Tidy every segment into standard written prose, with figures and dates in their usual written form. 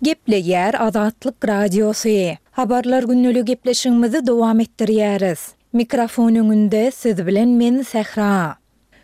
Gepleýär Azatlyk Radiosy. Habarlar gündeligi gepleşigimizi dowam etdirýäris. Mikrofon öňünde siz bilen men Sähra.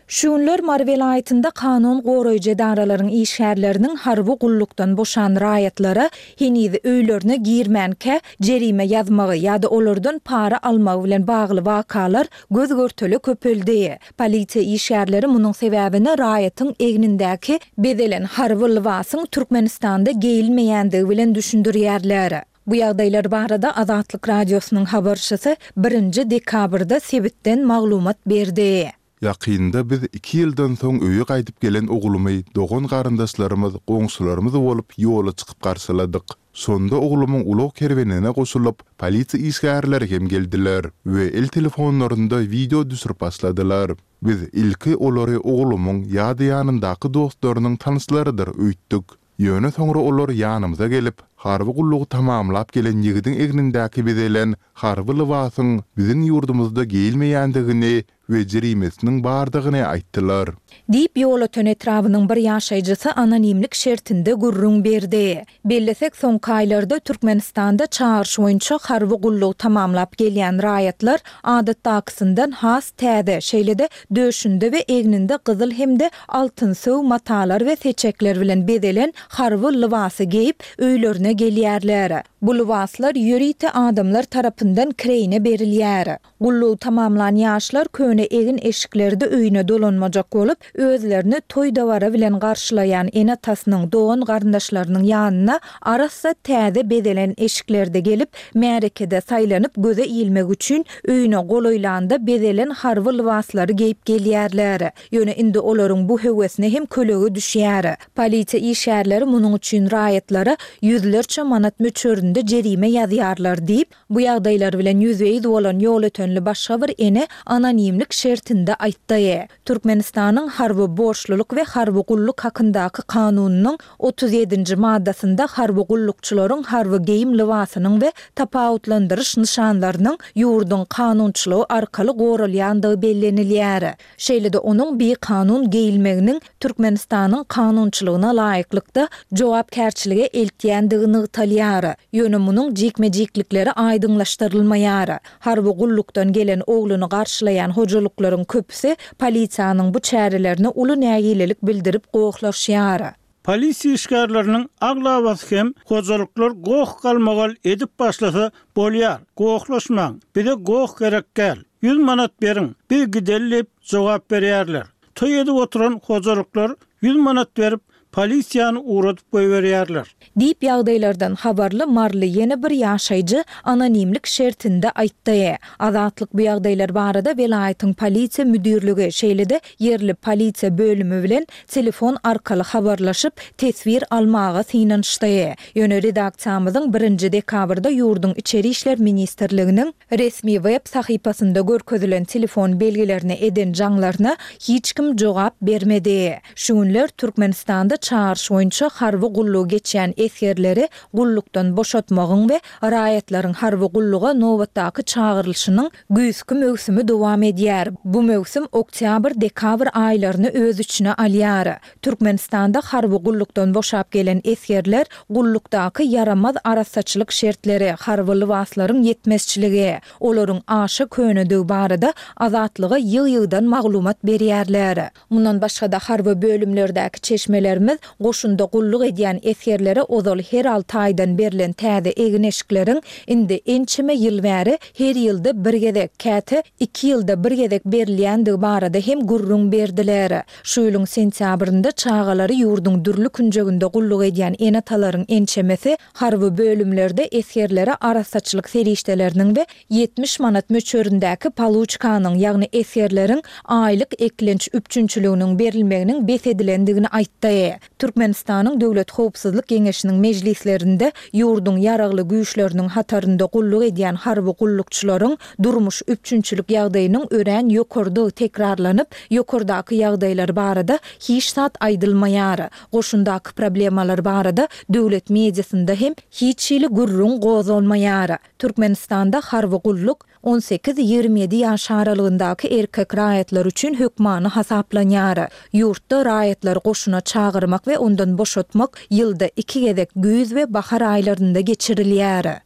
Şu günler Mary welaýatynda kanun goraýjy edaralaryň işgärleriniň harby gullukdan boşan raýatlara heniz öýlerine girmänkä jerime ýazmagy ýa-da olardan para almagy bilen bagly wakalar göz-görtele köpeldi. Polisiýa işgärleri munuň sebäbini raýatyň egnindäki bezelen harby lybasyň Türkmenistanda geýilmeýändigi bilen düşündirýärler. Bu ýagdaýlar barada Azatlyk Radiosynyň habarçysy birinji dekabrda sebitden maglumat berdi. Ýakynda biz iki ýyldan soň öýe gaýdyp gelen oglumy dogan-garyndaşlarymyz, goňşularymyz bolup ýola çykyp garşyladyk. Şonda oglumyň ulag kerwenine goşulyp, polisiýa işgärleri hem geldiler we el telefonlarynda wideo düşürip başladylar. Biz ilki olary oglumyň ýa-da ýanyndaky dostlarynyň tanyşlarydyr öýtdük. Ýöne soňra olar ýanymyza gelip, harby gullugy tamamlap gelen ýigidiň egnindäki bezelen harby lybasyň biziň ýurdumyzda geýilmeýändigini we jerimesiniň bardygyny aýtdylar. Diýip, Ýolöten etrabynyň bir ýaşaýjysy anonimlik şertinde gürrüň berdi. Bellesek, soňky aýlarda Türkmenistanda çagyryş boýunça harby gullugy tamamlap gelýän raýatlar adatdakysyndan has täze, şeýle-de döşünde we egninde gyzyl hem-de altynsöw matalar we seçekler bilen bezelen harby lybasy geýip, öýlerine gelýärler. Bu lybaslar ýörite adamlar tarapyndan kireýine berilýär. Gullugy tamamlan ýaşlar köne egin-eşiklerde öýüne dolanmajak bolup, özlerini toý-dabara bilen garşylaýan ene-atasynyň, dogan-garyndaşlarynyň ýanyna arassa täze bezelen eşiklerde gelip, märekede saýlanyp göze ilmek üçin öýüne golaýlanda bezelen harby lybaslary geýip gelýärler. Ýöne indi olaryň bu höwesine hem kölege düşýär. Polisiýa işgärleri munuň üçin raýatlara ýüzlerçe manat möçberinde jerime ýazýarlar diýip, Bu ýagdaýlar bilen ýüzbe-ýüz bolan ýolötenli başga bir ene anonimlik şertinde aýtdy. Türkmenistanyň Harby borçlulyk we harby gulluk hakyndaky Kanunynyň 37 nji maddasynda harby gullukçylaryň harby geýim lybasynyň we tapawutlandyryş nyşanlarynyň ýurduň kanunçylygy arkaly goralýandygy bellenilýär. Şeýle-de onuň bikanun geýilmeginiň Türkmenistanyň kanunçylygyna laýyklykda jogapkärçilige eltýändigi nygtalýar. Ýöne munuň jikme-jiklikleri aýdyňlaşdyrylmaýar. Harby gullukdan gelen ogluny garşylaýan hojalyklaryň köpüsi polisiýanyň bu çärelerine uly nägilelik bildirip gohlaşýar. Polisiýa işgärleriniň aglabasy hem hojalyklar goh-galmagal edip başlasa, Bolýar, gohlaşmaň, bize goh gerek däl, ýüz manat beriň, biz gideli diýip jogap berýärler. Toý edip oturan hojalyklar ýüz manat berip, polisiýany ugradyp goýberýärler. Diýip, ýagdaýlardan habarly maryly ýene bir ýaşaýjy anonimlik şertinde aýtdy. Azatlyk bu ýagdaýlar barada welaýatyň polisiýa müdirligi, şeýle-de ýerli polisiýa bölümi bilen telefon arkaly habarlaşyp, teswir almaga synanyşdy. Ýöne redaksiýamyzyň birinji dekabrda ýurduň Içeri işler ministrliginiň resmi web sahypasynda görkezilen telefon belgilerine eden jaňlaryna hiç kim jogap bermedi. Şu günler Türkmenistanda çagyryş boýunça harby gullugy geçýän esgerleri gullukdan boşatmagyň we raýatlaryň harby gulluga nobatdaky çagyrylyşynyň Güýzki möwsümi dowam edýär. Bu möwsüm oktýabr-dekabr aýlaryny öz içine alýar. Türkmenistanda harby gullukdan boşap gelen esgerler gullukdaky ýaramaz arassaçylyk şertleri, harby lybaslaryň ýetmezçiligi, olaryň aşa könedigi barada Azatlyga ýygy-ýygydan maglumat berýärler. Mundan başga-da harby bölümlerdäki çeşmelerimiz goşunda gulluk edýän esgerlere ozal her alty aýdan berlen täze egin-eşikleriň indi ençeme ýyl bäri her ýylda bir gezek, käte iki ýylda bir gezek berilýändigi barada hem gürrüň berdiler. Şu ýylyň sentýabrynda çagalary ýurduň dürli künjeginde gulluk edýän ene-atalaryň ençemesi harby bölümlerde esgerlere arassaçylyk serişdeleriniň we 70 manat möçberindäki poluçkanyň, ýagny esgerleriň aýlyk eklenç üpjünçiliginiň berilmeginiň bes edilendigini aýtdy. Türkmenistanyň Döwlet howpsuzlyk geňeşiniň mejlislerinde ýurduň Ýaragly Güýçleriniň hatarynda gulluk edýän harby gullukçylaryň durmuş üpjünçilik ýagdaýynyň örän ýokarydygy tekrarlanyp, ýokardaky ýagdaýlar barada hiç zat aýdylmaýar. Goşundaky problemalar barada döwlet mediasynda hem hiç hili gürrüň gozgalmaýar. Türkmenistanda harby gulluk. 18, 27 ýaş aralygyndaky erkek raýatlar üçin hökmany hasaplanýar. Ýurtda raýatlary goşuna çagyrmak we ondan boşatmak ýylda iki gezek güýz we bahar aýlarynda geçirilýär.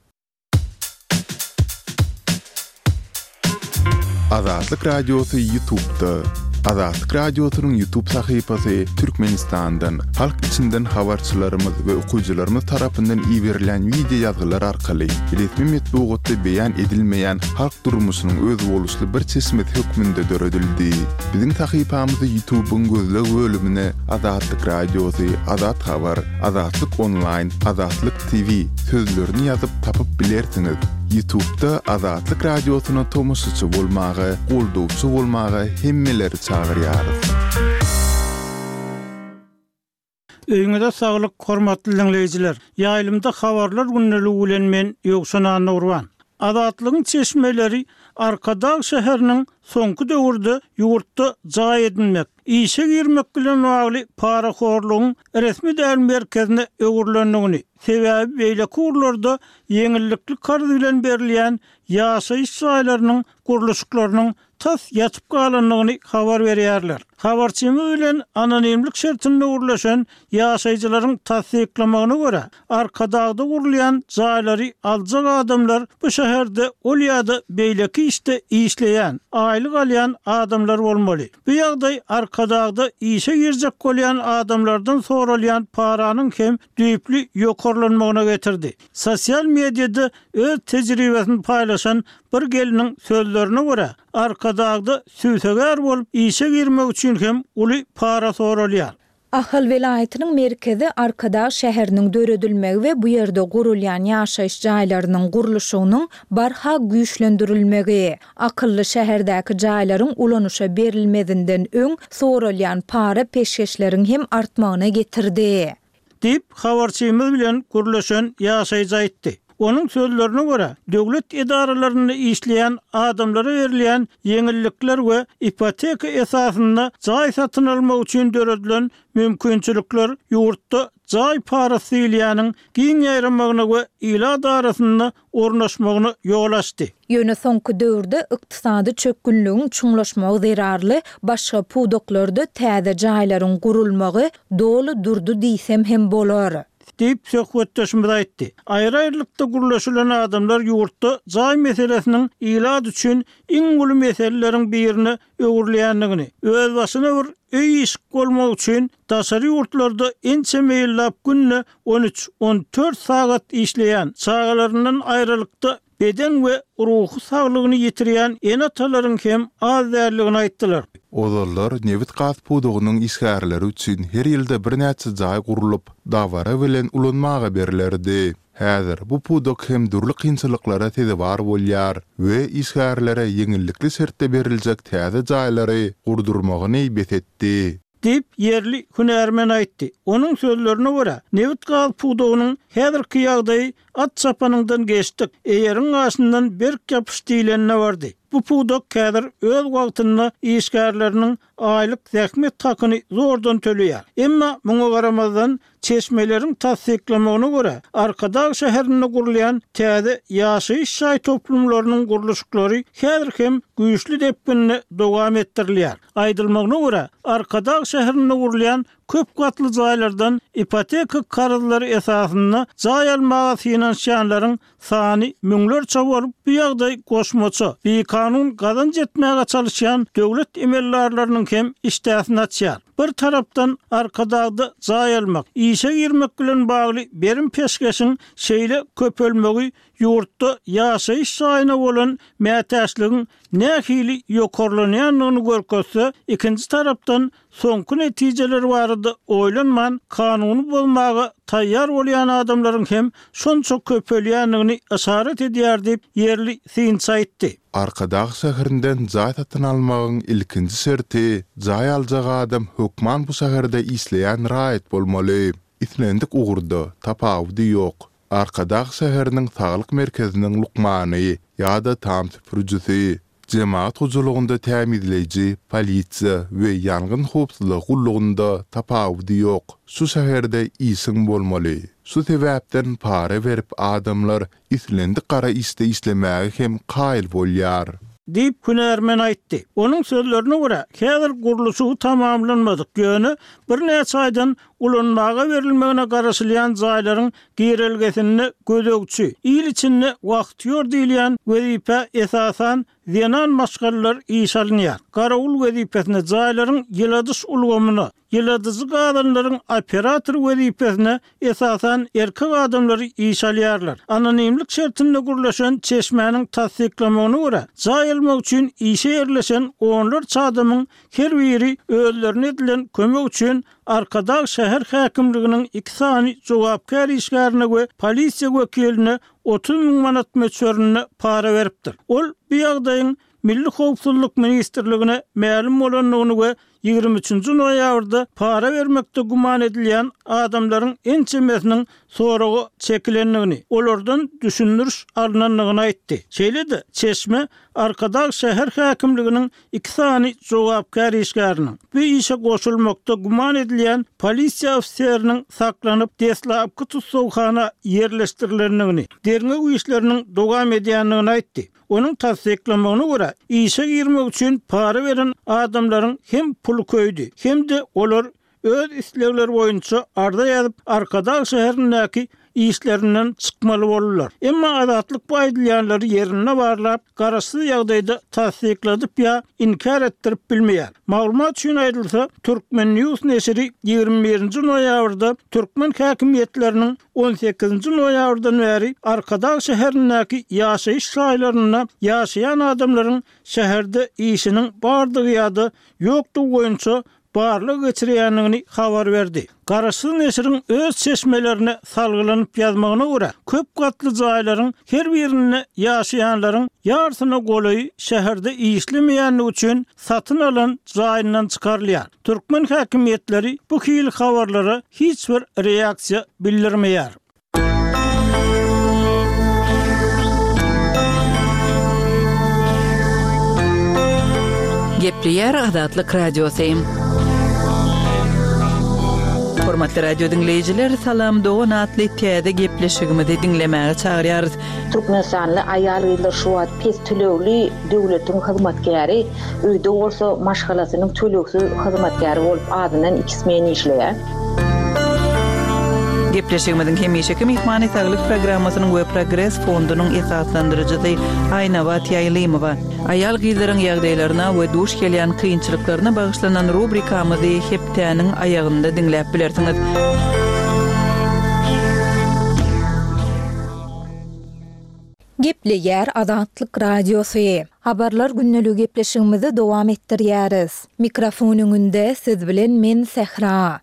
Azatlyk Radiosy Ýutubda. Azatlyk Radiosynyň Ýutub sahypasy Türkmenistandan, halk içinden habarçylarymyz we okyjylarymyz tarapyndan iberilen wideo ýazgylar arkaly resmi metbugatda beýan edilmeýän halk durmuşynyň özboluşly bir çeşmesi hökmünde döredildi. Biziň sahypamyzy Ýutubyň gözleg bölümine Azatlyk Radiosy, Azat Habar, Azatlyk Onlaýn, Azatlyk TV sözlerini ýazyp tapyp bilersiňiz. Ýutubda Azatlyk Radiosyna tomaşaçy bolmaga, goldawçy bolmaga hemmeleri çagyrýarys. Öýüňize saglyk hormatly diňleýjiler! Ýaýlymda habarlar gündeligi bilen men Ýowşan Annagurban. Azatlygyň çeşmeleri Arkadag şäheriniň soňky döwürde ýurtda jaý edinmek, işe girmek bilen bagly parahorlugyň resmi däl merkezine öwrülendigini, sebäbi beýleki ugurlarda ýeňillikli karz bilen berilýän ýaşaýyş jaýlarynyň gurluşyklarynyň tas ýatyp galandygyny habar berýärler. Habarçymyz bilen anonimlik şertinde gürleşen ýaşaýjylaryň tassyklamagyna görä, Arkadagda gurulýan jaýlary aljak adamlar bu şäherde ol ýa-da beýleki işde işleýän, aýlyk alýan adamlar bolmaly. Bu ýagdaý Arkadagda işe girjek bolýan adamlardan soralýan paranyň hem düýpli ýokarlanmagyna getirdi. Sosial mediada öz tejribesini paýlaşan bir gelniň sözlerine görä, Arkadagda sübsegär bolup işe girmek üçin hem uly para soralýar. Ahal welaýatynyň merkezi Arkadag şäheriniň döredilmegi we bu ýerde gurulýan ýaşaýyş jaýlarynyň gurluşygynyň barha güýçlendirilmegi, akylly şäherdäki jaýlaryň ulanyşa berilmezinden öň soralýan para-peşgeşleriň hem artmagyna getirdi. Diýip, habarçymyz bilen gürleşen ýaşaýjy aýtdy. Onuň sözlerine görä, döwlet edaralarynda işleýän adamlara berilýän ýeňillikler we ipoteka esasynda jaý satyn almak üçin döredilen mümkinçilikler ýurtda jaý parasy diýilýäniň giň ýaýramagyna we ilat arasynda ornaşmagyna ýol açdy. Ýöne soňky döwürde ykdysady çökgünligiň çuňlaşmagy zerarly başga pudaklarda täze jaýlaryň gurulmagy doly durdy diýsem hem bolar. Diýip, söhbetdeşimiz aýtdy. Aýry-aýrylykda gürleşilen adamlar ýurtda jaý meselesiniň ilat üçin iň uly meseleleriň birine öwrülýändigini, özbaşyna bir öý-işik bolmak üçin daşary ýurtlarda ençeme ýyllap günde on üç, on dört sagat işleýän, çagalaryndan aýralykda beden we ruhy saglygyny ýitirýän ene-atalaryň hem az däldigini aýtdylar. Ozallar nebit-gaz pudagynyň işgärleri üçin her ýylda birnäçe jaý gurlup, dabara bilen ulanmaga berlerdi. Häzir bu pudak hem dürli kynçylyklara sezewar bolýar we işgärlere ýeňillikli şertde beriljek täze jaýlary gurdurmagyny bes etdi. Diýip, ýerli hünärmen aýtdy. Onuň sözlerine görä, nebit-gaz pudagynyň häzirki ýagdaýy at çapanyňdan geçdik, eýeriň gaşyndan berk ýapyş diýlenine bardy. Bu pudak häzir öz wagtynda işgärleriniň aýlyk zähmet hakyny zordan töleýär. Emma muňa garamazdan, Çeşmeleriň tassyklamagyna görä, Arkadag şäherinde gurulýan täze ýaşaýyş jaý toplumlarynyň gurluşyklary häzir hem güýçli depginde dowam etdirilýär. Aýdylmagyna görä, Arkadag şäherinde gurulýan köp gatly jaýlardan ipoteka karzlary esasynda jaý almaga synanyşýanlaryň sany müňlerçe bolup, bu ýagdaý goşmaça, bikanun gazanç etmäge çalyşýan döwlet emeldarlarynyň hem işdäsini açýar. Bir tarapdan, Arkadagda jaý almak, işe girmek bilen bagly berim-peşgeşiň şeýle köpelmegi ýurtda ýaşaýyş jaýyna bolan mätäçligiň nähili ýokarlanýandygyny görkezse, ikinji tarapdan, soňky netijeler barada oýlanman, kanuny bozmaga taýýar bolýan adamlaryň hem şonça köpelýändigini yşarat edýär diýip, ýerli synçy aýtdy. Arkadag şäherinden jaý satyn almagyň ilkinji şerti, jaý aljak adam hökman bu şäherde işleýän raýat bolmaly. Islendik ugurda, tapawudy ýok. Arkadag şäheriniň saglyk merkeziniň lukmany ýa-da tam süpürijisi. Jemagat hojalygynda tämizleýji, polisiýa we ýangyn howpsuzlygy gullugynda tapawudy ýok, şu şäherde işiň bolmaly. Şu sebäpden para berip adamlar islendik gara işde işlemäge hem kaýyl bolýar. Diýip, hünärmen aýtdy. Onuň sözlerine görä, häzir gurluşygy tamamlanmadyk, ýöne birnäçe aýdan ulanmaga berilmegine garaşylýan jaýlaryň girelgesinde gözegçi, il içinde wahtýor diýilýän wezipä esasan zenan maşgalalar işe alynýar. Garawul wezipesine, jaýlaryň ýyladyş ulgamyna, ýyladyjy gazanlaryň operatory wezipesine esasan erkek adamlary işe alýarlar. Anonimlik şertinde gürleşen çeşmäniň tassyklamagyna görä, jaý almak üçin işe ýerleşen onlarça adamyň her biri özlerine edilen kömek üçin Arkadag şäher häkimliginiň iki sany jogapkär işgärine we polisiýa wekiline 30 müň manat möçberinde para beripdir. Ol bu ýagdaýyň Milli howpsuzlyk ministrligine mälim bolandygyny we 23-nji noýabrda para bermekde güman edilýän adamlaryň ençemesiniň soraga çekilendigini, olardan düşündiriş alnandygyny aýtdy. Şeýle-de, çeşme Arkadag şäher häkimliginiň iki sany jogapkär işgäriniň, bu işe goşulmakda güman edilýän polisiýa ofiseriniň saklanyp, deslapky tussaghana ýerleşdirilendigini, derňew işleriniň dowam edýändigini aýtdy. Onuň tassyklamagyna görä, işe girmek üçin para beren adamlaryň hem puly köýdi, hem-de olar öz islegleri boýunça arza ýazyp, Arkadag şäherindäki işlerinden çykmaly boldular. Emma Azatlyk bu aýdylýanlary ýerinde barlap, garaşsyz ýagdaýda tassykladyp ýa inkär etdirip bilmeýär. Maglumat üçin aýdylsa, Turkmen. News neşiri 21 nji noýabrda türkmen häkimiýetleriniň 18 nji noýabrdan bäri Arkadag şäherindäki ýaşaýyş jaýlarynda ýaşaýan adamlaryň şäherde işiniň bardygy ýa-da ýokdugy boýunça barlag geçirýändigini habar berdi. Garaşsyz neşiriň öz çeşmelerine salgylanyp ýazmagyna görä, köp gatly jaýlaryň her birinde ýaşaýanlaryň ýarsyna golaýy şäherde işlemeýändigi üçin satyn alan jaýyndan çykarylýar. Türkmen häkimiýetleri bu hili habarlara hiç bir reaksiýa bildirmeýär. Gepleýär Azatlyk Radiosy. Hormatly radio diňleýjiler, Salam dogan atly täze gepleşigimizi diňlemäge çagyrýarys. Türkmenistanly aýal-gyzlar şu wagt pes tölegli döwletiň hyzmatkäri, öýde bolsa maşgalasynyň tölegsiz hyzmatkäri bolup azyndan iki smen işleýär. Gepleşigimiziň hemişeki myhmany Saglyk programmasynyň we Progres fondunyň esaslandyryjysy Aýnabat Ýaýlymowa. Aýal-gyzlaryň ýagdaýlaryna we duş gelýän kynçylyklaryna bagyşlanan rubrikamyzy hepdäniň aýagynda diňläp bilersiňiz. Gepleýär Azatlyk Radiosy. Habarlar gündeligi gepleşigimizi dowam etdirýäris. Mikrofon öňünde siz bilen men Sähra.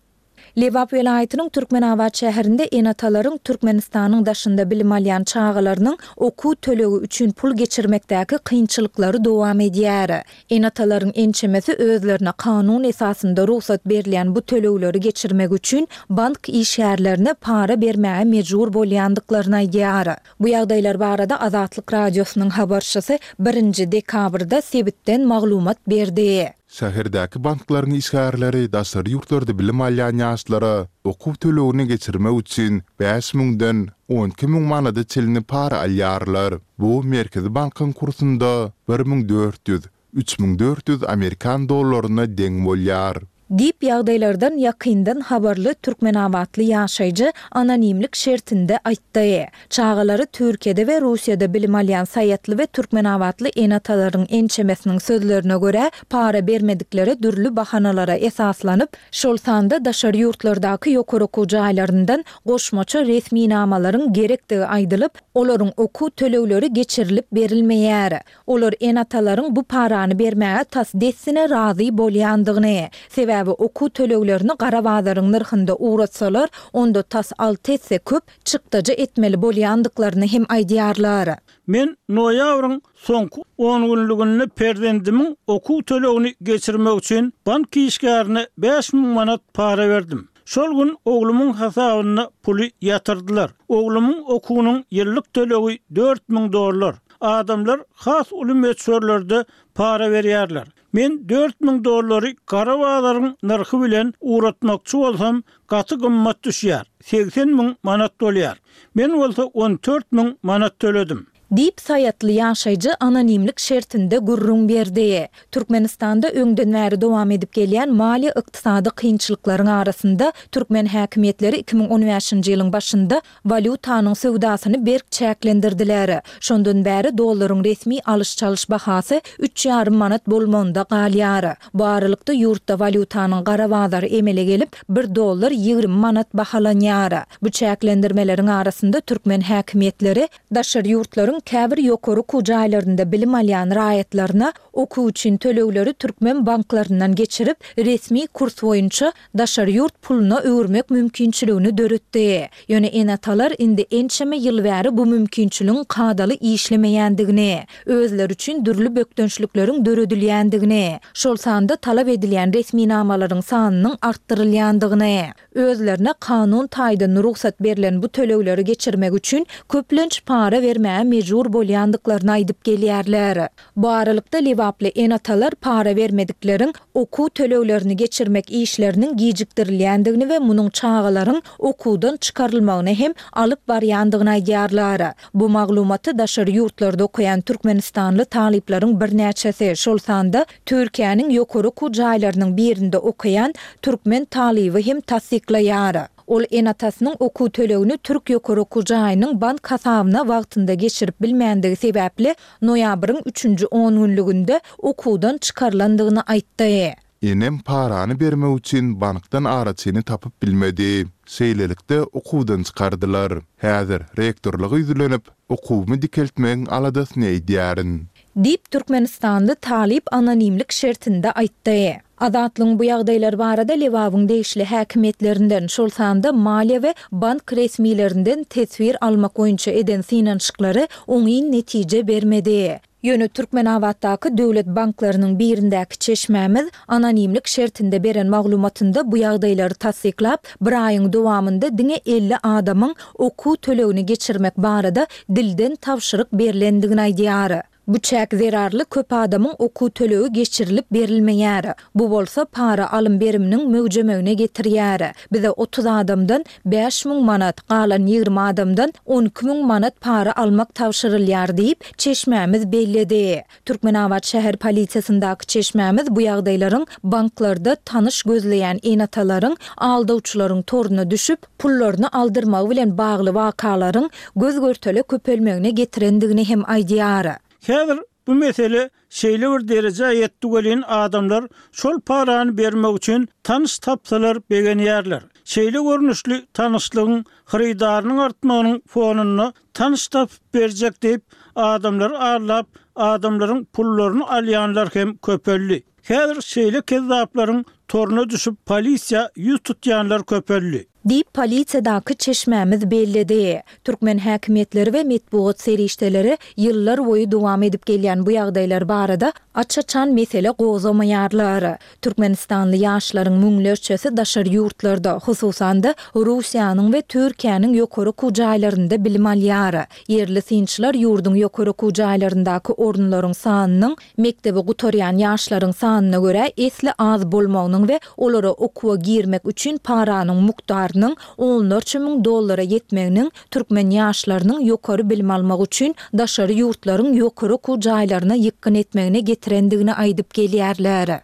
Lebap welaýatynyň Türkmenabat şäherinde ene-atalaryň Türkmenistanyň daşynda bilim alýan çagalarynyň okuw tölegi üçin pul geçirmekdäki kynçylyklary dowam edýär. Ene-atalaryň ençemesi özlerine kanun esasynda rugsat berilýän bu tölegleri geçirmek üçin bank işgärlerine para bermäge mejbur bolýandyklaryny aýdýar. Bu ýagdaýlar barada Azatlyk Radiosynyň habarçysy birinji dekabrda sebitden maglumat berdi. Şäherdäki banklaryň işgärleri daşary ýurtlarda bilim alýan ýaşlara okuw tölegini geçirmek üçin bäş müňden 12 müň manada çenli para alýarlar. Bu Merkezi bankyň kursunda 1400, 3400 amerikan dollaryna deň bolýar. Diýip, ýagdaýlardan ýakyndan habarly türkmenabatly ýaşaýjy anonimlik şertinde aýtdy. Çagalary Türkiýede we Russiýada bilim alýan saýatly we türkmenabatly ene-atalaryň ençemesiniň sözlerine görä, para bermediklere dürli bahanalara esaslanyp, şol sanda daşary ýurtlardaky ýokary okuw jaýlaryndan goşmaça resminamalaryň gerekdigi aýdylyp, olaryň okuw tölegleri geçirilip berilmeýär. Olar ene-atalaryň bu parany bermäge tas dessine razy bolýandygyny, sebäbi okuw töleglerini gara bazaryň nyrhynda ugratsalar, onda tas alty esse köp çykdajy etmeli bolýandyklaryny hem aýdýarlar. Men noýabryň soňky ongünlüginde perzendimiň okuw tölegini geçirmek üçin bank işgärine 5000 manat para berdim. Şol gün oglumyň hasabyna puly ýatyrdylar. Oglumyň okuwynyň ýyllyk tölegi 4000 dollar. Adamlar has uly möçberlerde para berýärler. Men 4000 dollary gara bazaryň nyrhy bilen ugratmakçy bolsam, gaty gymmat düşýär, 80 müň manat bolýar. Men bolsa 14 müň manat töledim. Diýip, saýatly ýaşaýjy anonimlik şertinde gürrüň berdi. Türkmenistanda öňden bäri dowam edip gelýän maliýe-ykdysady kynçylyklaryň arasynda, türkmen häkimiýetleri 2015-nji ýylyň başynda walýutanyň söwdasyny berk çäklendirdiler. Şondan bäri dollaryň resmi alyş-çalyş bahasy üç ýarym manat bolmagynda galýar. Bu aralykda ýurtda walýutanyň gara bazary emele gelip, bir dollar 20 manat bahalanýar. Bu çäklendirmeleriň arasynda türkmen häkimiýetleri Daşary ýurtlaryň käbir ýokary okuw jaýlarynda bilim alýan raýatlaryna okuw üçin tölegleri türkmen banklaryndan geçirip, resmi kurs boýunça daşary ýurt puluna öwürmek mümkinçiligini döretdi. Ýöne ene-atalar indi ençeme ýyl bäri bu mümkinçiligiň kadaly işlemeýändigini, özleri üçin dürli bökdençlikleriň döredilýändigini, şol sanda talap edilýän resminamalaryň sanynyň artdyrylýandygyny, Özlerine kanun taýdan rugsat berlen bu tölegleri geçirmek üçin köplenç para bermäge mejbur bolýandyklaryny aýdyp gelýärler. Bu aralykda lebaply ene-atalar para bermedikleriň okuw töleglerini geçirmek işleriniň gijikdirilýändigini we munuň çagalaryň okuwdan çykarylmagyna hem alyp barýandygyny aýdýarlar. Bu maglumaty daşary ýurtlarda okaýan türkmenistanly talyplaryň birnäçesi, şol sanda Türkiýäniň ýokary okuw jaýlarynyň birinde okaýan türkmen talyby hem tassyklaýar. Ol ene-atasynyň okuw tölegini türk ýokary okuw jaýynyň bank hasabyna wagtynda geçirip bilmändigi sebäpli noýabryň üçünji ongünlüginde okuwdan çykarylandygyny aýtdy. Enem parany bermek üçin bankdan araçyny tapyp bilmedi. Şeýlelikde, okuwdan çykardylar. Häzir rektorlyga ýüzlenip, okuwymy dikeltmegiň aladasyny edýärin. Diýip, türkmenistanly talyp anonimlik şertinde aýtdy. Azatlygyň bu ýagdaýlar barada Lebabyň degişli häkimiýetlerinden, şol sanda maliýe we bank resmilerinden teswir almak boýunça eden synanyşyklary oňyn netije bermedi. Ýöne Türkmenabatdaky döwlet banklarynyň birindäki çeşmämiz anonimlik şertinde beren maglumatynda bu ýagdaýlary tassyklap, bir aýyň dowamynda diňe 50 adamyň okuw tölegini geçirmek barada dilden tabşyryk berlendigini aýdýar. Bu çäk zerarly köp adamyň okuw tölegi geçirilip berilmeýär. Bu bolsa para alym-beriminiň möwjemegine getirýär. Bize 30 adamdan 5000 manat, galan 20 adamdan 12 müň manat para almak tabşyrylýar diýip, çeşmämiz belledi. Türkmenabat şäher polisiýasyndaky çeşmämiz bu ýagdaýlaryň banklarda tanyş gözleýän ene-atalaryň aldawçylaryň toruna düşüp, pullaryny aldyrmagy bilen bagly wakalaryň göz-görtele köpelmegine getirendigini hem aýdýar. Häzir bu mesele şeýle bir derejä ýetdi welin adamlar şol parany bermek üçin tanyş tapsalar begenýärler. Şeýle görnüşli tanyşlygyň hyrydarynyň artmagynyň fonunda tanyş tapyp berjek diýip adamlary aldap adamlaryň pullaryny alýanlar hem köpeldi. Häzir şeýle kezzaplaryň toruna düşüp polisiýa ýüz tutýanlar köpeldi. Diýip, polisiýadaky çeşmämiz belledi. Türkmen häkimiýetleri we metbugat serişdeleri ýyllar boýy dowam edip gelýän bu ýagdaýlar barada aç-açan mesele gozgamaýarlar. Türkmenistanly ýaşlaryň müňlerçesi daşary ýurtlarda, hususan-da, Russiýanyň we Türkiýäniň ýokary okuw jaýlarynda bilim alýar. Ýerli synçylar ýurduň ýokary okuw jaýlaryndaky orunlaryň sanynyň mekdebi gutarýan ýaşlaryň sanyna görä esli az bolmagynyň we olara okuwa girmek üçin paranyň mukdarynyň onlarça müň dollara ýetmeginiň türkmen ýaşlarynyň ýokary bilim almak üçin daşary ýurtlaryň ýokary okuw jaýlaryna ýykgyn etmegine getirendigini aýdyp gelýärler.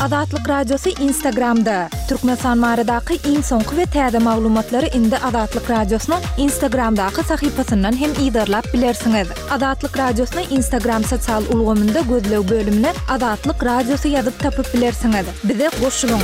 Azatlyk Radiosy Instagramda, Türkmenistan baradaky iň soňky we täze maglumatlary indi Azatlyk Radiosynyň Instagramdaky sahypasyndan hem yzarlap bilersiňiz. Azatlyk Radiosyny Instagram sosial ulgamynda gözleg bölümine Azatlyk Radiosy ýazyp tapyp bilersiňiz. Bize goşulyň!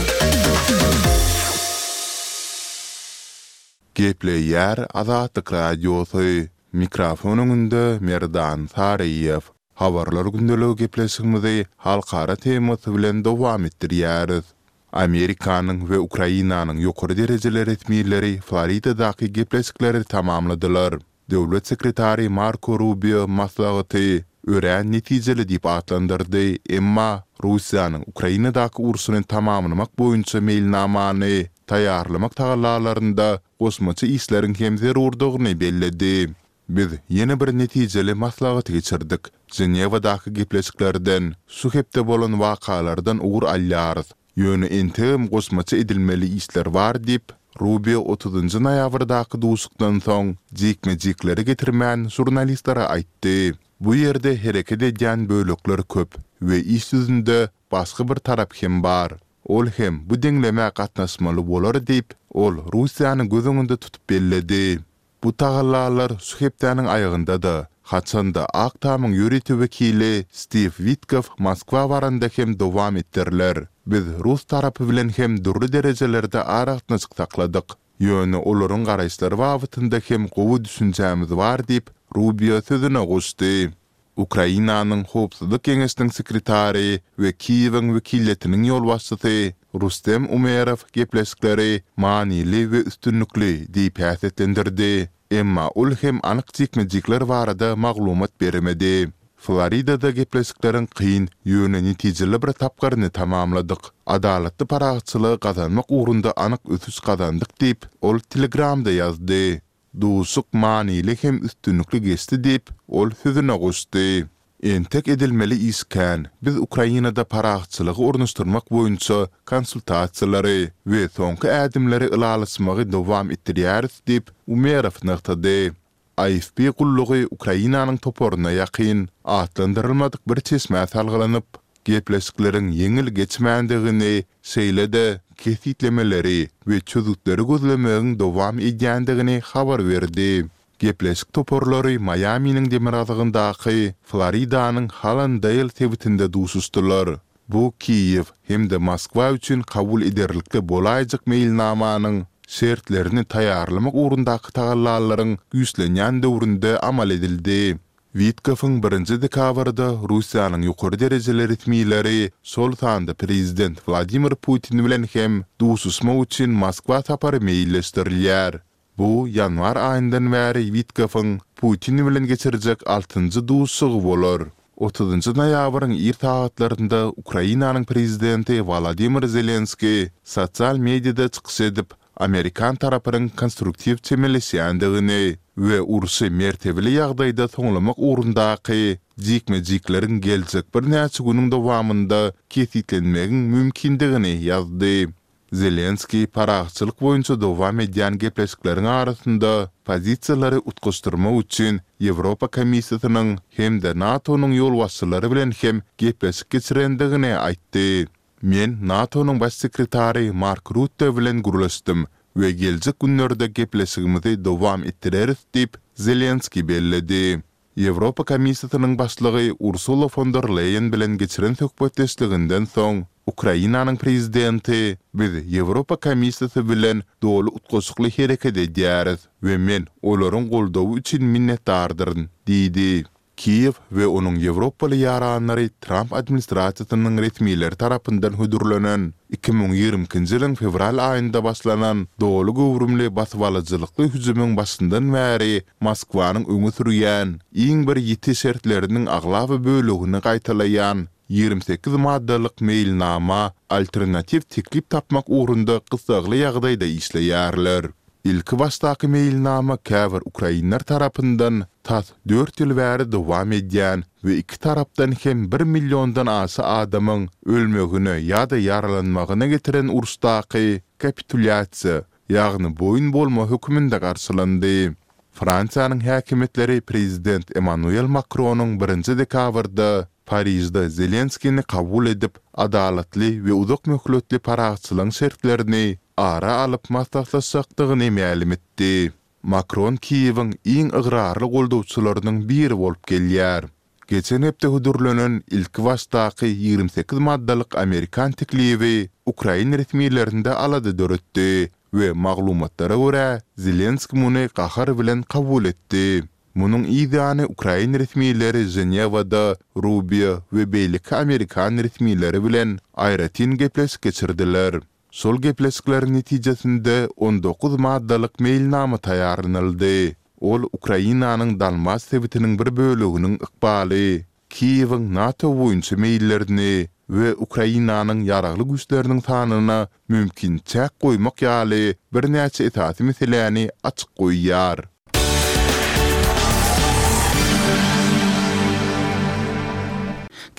Gepleýär Azatlyk Radiosy, Mikrofon öňünde Merdan Saryýew. Habarlar gündeligi gepleşigimizi halkara temasy bilen dowam etdirýäris. Amerikanyň we Ukrainanyň ýokary derejeli resmileri Floridadaky gepleşikleri tamamladylar. Döwlet sekretary Marko Rubio maslahaty örän netijeli diýip atlandyrdy, emma Russiýanyň Ukrainadaky urşuny tamamlamak boýunça meýilnamany taýýarlamak tagallalarynda goşmaça işleriň hem zerurdygyny belledi. Biz ýene bir netijeli maslahaty geçirdik. Ženewadaky gepleşiklerden, şu hepde bolan wakalardan ugur alýarys. Ýöne entegem goşmaça edilmeli işler bar diýip, Rubio otuzynjy noýabrdaky duşuşykdan soň jikme-jikleri getirmän žurnalistlere aýtdy. Bu ýerde hereket edýän bölekler köp we iş ýüzünde başga bir tarap hem bar. Ol hem bu deňlemä gatnaşmaly bolar diýip, ol Russiýany göz öňünde tutup belledi. Bu tagallalar şu hepdäniň aýagynda-da, haçan-da Ak Tamyň ýörite wekili Stiw Witkow Moskwa baranda hem dowam etdiriler. Biz rus tarapy bilen hem dürli derejelerde aragatnaşyk sakladyk. Ýöne olaryň garaýyşlary babatynda hem gowy düşünjämiz bar diýip, Rubio sözüne goşdy. Ukrainanyň Howpsuzlyk geňeşiniň sekretary we Kiýewiň wekiliýetiniň ýolbaşçysy Rustem Umerow gepleşikleri manyly we üstünlikli diýip häsiýetlendirdi, emma ol hem anyk jikme-jikler barada maglumat bermedi. Floridada gepleşikleriň kyn, ýöne netijeli bir tapgyryny tamamladyk. Adalatly parahatçylygy gazanmak ugrunda anyk ösüş gazandyk diýip, ol Telegramda ýazdy. Duşuşyk manyly hem üstünlikli geçdi diýip, ol sözüne goşdy. Entek edilmeli iş kän. Biz Ukrainada parahatçylygy ornaşdyrmak boýunça konsultasiýalary we soňky ädimleri ylalaşmagy dowam etdirýäris diýip, Umerow nygtady. AFP gullugy Ukrainanyň toparyna ýakyn, atlandyrylmadyk bir çeşmä salgylanyp, Gepleşikleriň ýeňil geçmändigini, şeýle-de kesgitlemeleri we çözgütleri gözlemegiň dowam edýändigini habar berdi. Gepleşik toparlary Maýaminiň demirgazygyndaky Floridanyň Hallandale sebitinde duşuşdylar. Bu Kiýew hem-de Moskwa üçin kabul ederlikli bolaýjak meýilnamanyň şertlerini taýýarlamak ugrundaky tagallalaryň güýçlenýän döwründe amal edildi. Witkowyň birinji dekabrda Russiýanyň ýokary derejeli resmileri, şol sanda prezident Wladimir Putin bilen hem duşuşmak üçin Moskwa sapary meýilleşdirilýär. Bu ýanwar aýyndan bäri Witkowyň Putin bilen geçirjek altynjy duşuşygy bolar. Otuzynjy noýabryň ir sagatlarynda Ukrainanyň prezidenti Wolodymyr Zelenskiý sosial mediada çykyş edip, amerikan tarapynyň konstruktiw çemeleşýändigini we urşy mertebeli ýagdaýda soňlamak ugrundaky jikme-jikleriň geljek birnäçe günüň dowamynda kesgitlenmegiň mümkindigini ýazdy. Zelenskiý parahatçylyk boýunça dowam edýän gepleşikleriň arasynda pozisiýalary utgaşdyrmak üçin Ýewropa Komissiýasynyň hem-de NATO-nyň ýolbaşçylary bilen hem gepleşik geçirendigini aýtdy. Men NATO-nyň Baş sekretary Mark Rutte bilen gürleşdim we geljek günlerde gepleşigimizi dowam etdireris diýip, Zelenskiý belledi. Ýewropa Komissiýasynyň başlygy Ursula fon der Leýen bilen geçiren söhbetdeşliginden soň, Ukrainanyň prezidenti, Biz Ýewropa Komissiýasy bilen doly utgaşykly hereket edýäris we men olaryň goldawy üçin minnetdardyryn diýdi. Kiýew we onuň ýewropaly ýaranlary Tramp administrasiýasynyň resmileri tarapyndan hödürlenen, 2022-nji ýylyň fewral aýynda başlanan doly göwrümli basybalyjylykly hüjümiň başyndan bäri Moskwanyň öňe sürýän iň bir ýiti şertleriniň aglaba bölegini gaýtalaýan 28 maddalyk meýilnama alternatiw teklip tapmak ugrunda gyssagly ýagdaýda işleýärler. Ilkibaşdaky meýilnama käbir ukrainler tarapyndan tas dört ýyl bäri dowam edýän we iki tarapdan hem bir milliondan aşa adamyň ölmegine ýa-da ýaralanmagyna getiren uruşdaky kapitulýasiýa, ýagny boýun bolma hökmünde garşylandy. Fransiýanyň häkimiýetleri prezident Emmanuel Makronyň birinji dekabrda Parižde Zelenskini kabul edip, adalatly we uzak möhletli parahatçylygyň şertlerini ara alyp maslahatlaşjakdygyny mälim etdi. Makron Kiýewiň iň ygrarly goldawçylarynyň biri bolup gelýär. Geçen hepde hödürlenen ilkibaşdaky 28 maddalyk amerikan teklibi ukrain resmilerinde alada döretdi we maglumatlara görä, Zelenski muny gahar bilen kabul etdi. Munuň yz ýany ukrain resmileri Ženewada Rubio we beýleki amerikan resmileri bilen aýratyn gepleşik geçirdiler. Şol gepleşikleriň netijesinde 19 maddalyk meýilnama taýýarlanyldy. Ol Ukrainanyň Donbas sebitiniň bir böleginiň ykbaly, Kiýewiň NATO boýunça meýillerini we Ukrainanyň ýaragly güýçleriniň sanyna mümkin çäk goýmak ýaly birnäçe esasy meseläni açyk goýýar.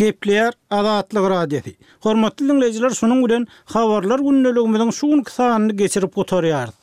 Gepleýär Azatlyk Radiosy. Hormatly diňleýjiler şunuň bilen Habarlar gündeligimiziň şu günki sanyny geçirip gutarýarys.